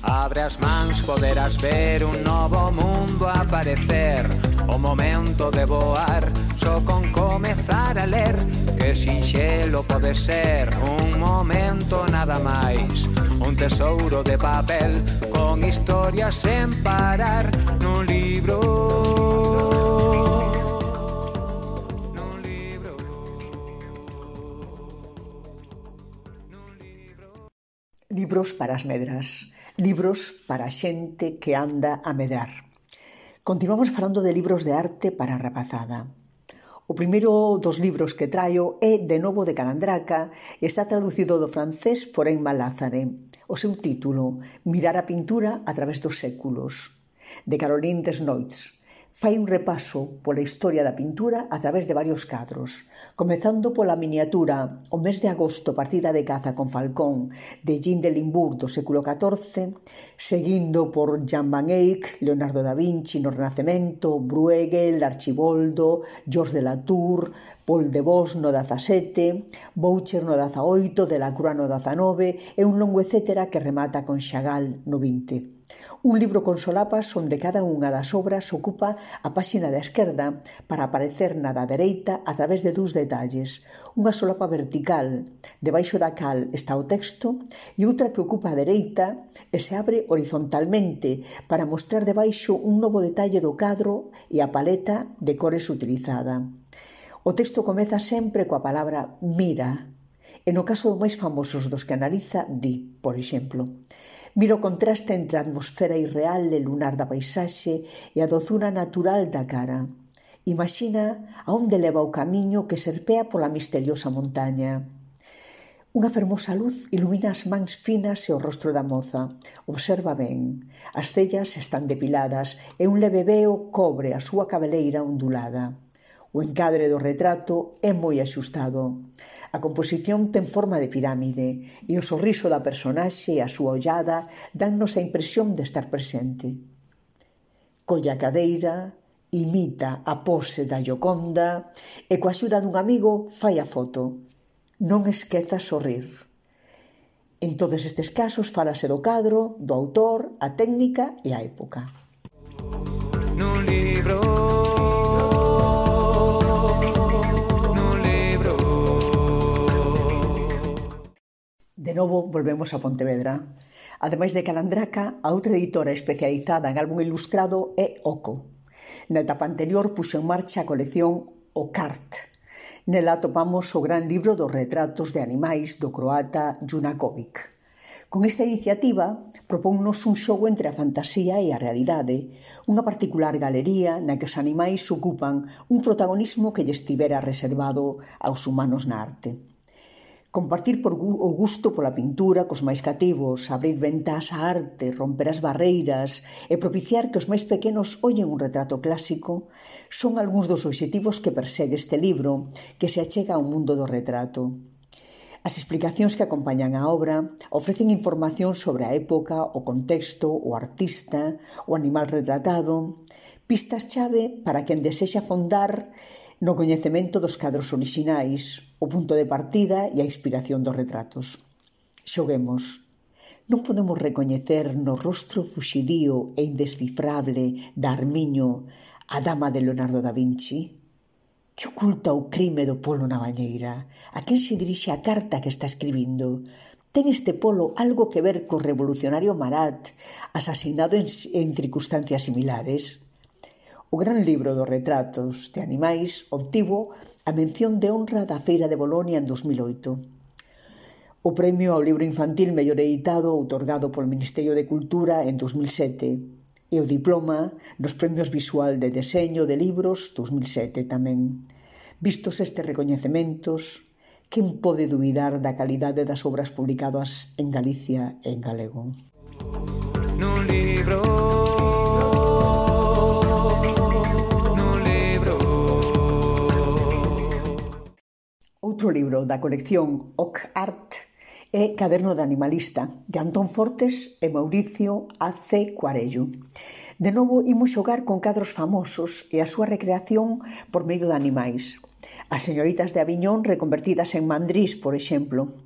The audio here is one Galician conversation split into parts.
Abre as mans, poderás ver un novo mundo aparecer. O momento de voar, só con comezar a ler. Que sinxelo pode ser, un momento nada máis. Un tesouro de papel, con historias sen parar. Nun libro, nun libro, nun libro. Libros para as medras, libros para a xente que anda a medrar. Continuamos falando de libros de arte para a rapazada. O primeiro dos libros que traio é De novo de Calandraca e está traducido do francés por Emma Lázare. O seu título, Mirar a pintura a través dos séculos, de Caroline Desnoyers. Fai un repaso pola historia da pintura a través de varios cadros, comezando pola miniatura O mes de agosto, partida de caza con falcón, de Jean de Limbourg do século XIV, seguindo por Jan van Eyck, Leonardo da Vinci no Renacemento, Bruegel, Archiboldo, Georges de Latour, Paul de Vos no XVII, Boucher no XVIII, Delacroix no XIX e un longo etcétera que remata con Chagall no XX. Un libro con solapas onde cada unha das obras ocupa a páxina da esquerda para aparecer na da dereita a través de dous detalles. Unha solapa vertical, debaixo da cal está o texto, e outra que ocupa a dereita e se abre horizontalmente para mostrar debaixo un novo detalle do cadro e a paleta de cores utilizada. O texto comeza sempre coa palabra mira, e no caso dos máis famosos dos que analiza, di, por exemplo, mira o contraste entre a atmosfera irreal e lunar da paisaxe e a dozura natural da cara. Imagina a onde leva o camiño que serpea pola misteriosa montaña. Unha fermosa luz ilumina as mans finas e o rostro da moza. Observa ben. As cellas están depiladas e un leve veo cobre a súa cabeleira ondulada. O encadre do retrato é moi axustado. A composición ten forma de pirámide e o sorriso da personaxe e a súa ollada dannos a impresión de estar presente. Colla a cadeira, imita a pose da Gioconda e coa axuda dun amigo fai a foto. Non esqueza sorrir. En todos estes casos falase do cadro, do autor, a técnica e a época. Nun libro. De novo, volvemos a Pontevedra. Ademais de Calandraca, a outra editora especializada en álbum ilustrado é Oco. Na etapa anterior puxo en marcha a colección O Cart. Nela atopamos o gran libro dos retratos de animais do croata Junakovic. Con esta iniciativa, propónnos un xogo entre a fantasía e a realidade, unha particular galería na que os animais ocupan un protagonismo que lle estivera reservado aos humanos na arte. Compartir o gusto pola pintura cos máis cativos, abrir ventás á arte, romper as barreiras e propiciar que os máis pequenos ollen un retrato clásico son algúns dos obxectivos que persegue este libro que se achega ao mundo do retrato. As explicacións que acompañan a obra ofrecen información sobre a época, o contexto, o artista, o animal retratado, pistas chave para quen desexa fondar no coñecemento dos cadros orixinais, o punto de partida e a inspiración dos retratos. Xoguemos. Non podemos recoñecer no rostro fuxidío e indescifrable da Armiño a dama de Leonardo da Vinci? Que oculta o crime do polo na bañeira? A quen se dirixe a carta que está escribindo? Ten este polo algo que ver co revolucionario Marat, asasinado en circunstancias similares? O gran libro dos retratos de animais obtivo a mención de honra da Feira de Bolonia en 2008. O premio ao libro infantil mellor editado outorgado polo Ministerio de Cultura en 2007 e o diploma nos premios visual de deseño de libros 2007 tamén. Vistos estes recoñecementos, quen pode dubidar da calidade das obras publicadas en Galicia e en galego? Nun libro. Outro libro da colección Ok Art é Caderno de Animalista, de Antón Fortes e Mauricio A.C. Cuarello. De novo, imos xogar con cadros famosos e a súa recreación por medio de animais. As señoritas de Aviñón reconvertidas en mandrís, por exemplo.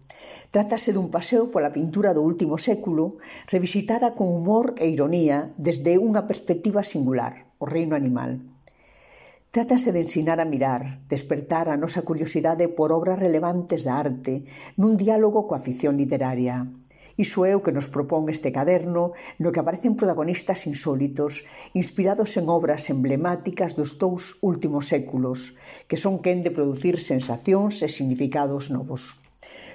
Trátase dun paseo pola pintura do último século, revisitada con humor e ironía desde unha perspectiva singular, o reino animal. Trátase de ensinar a mirar, despertar a nosa curiosidade por obras relevantes da arte nun diálogo coa ficción literaria. Iso é o que nos propón este caderno no que aparecen protagonistas insólitos inspirados en obras emblemáticas dos 2 últimos séculos que son quen de producir sensacións e significados novos.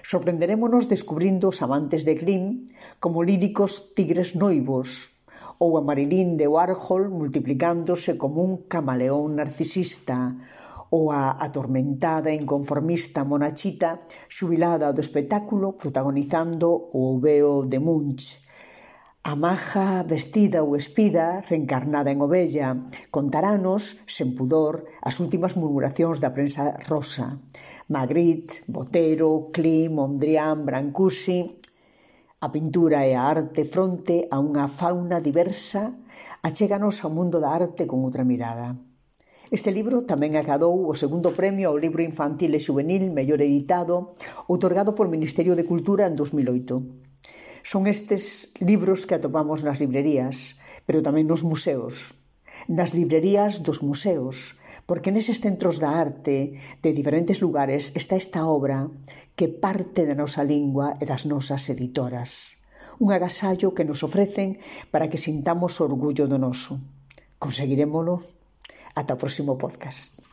Sorprenderémonos descubrindo os amantes de Grimm como líricos tigres noivos ou a Marilyn de Warhol multiplicándose como un camaleón narcisista ou a atormentada e inconformista Monachita xubilada do espectáculo protagonizando o oveo de Munch. A maja vestida ou espida, reencarnada en ovella, contaranos, sen pudor, as últimas murmuracións da prensa rosa. Magritte, Botero, Klim, Mondrian, Brancusi. A pintura e a arte fronte a unha fauna diversa achéganos ao mundo da arte con outra mirada. Este libro tamén acadou o segundo premio ao libro infantil e xuvenil mellor editado, outorgado polo Ministerio de Cultura en 2008. Son estes libros que atopamos nas librerías, pero tamén nos museos. Nas librerías dos museos, porque neses centros da arte de diferentes lugares está esta obra que parte da nosa lingua e das nosas editoras. Un agasallo que nos ofrecen para que sintamos orgullo do noso. Conseguirémolo? Ata o próximo podcast.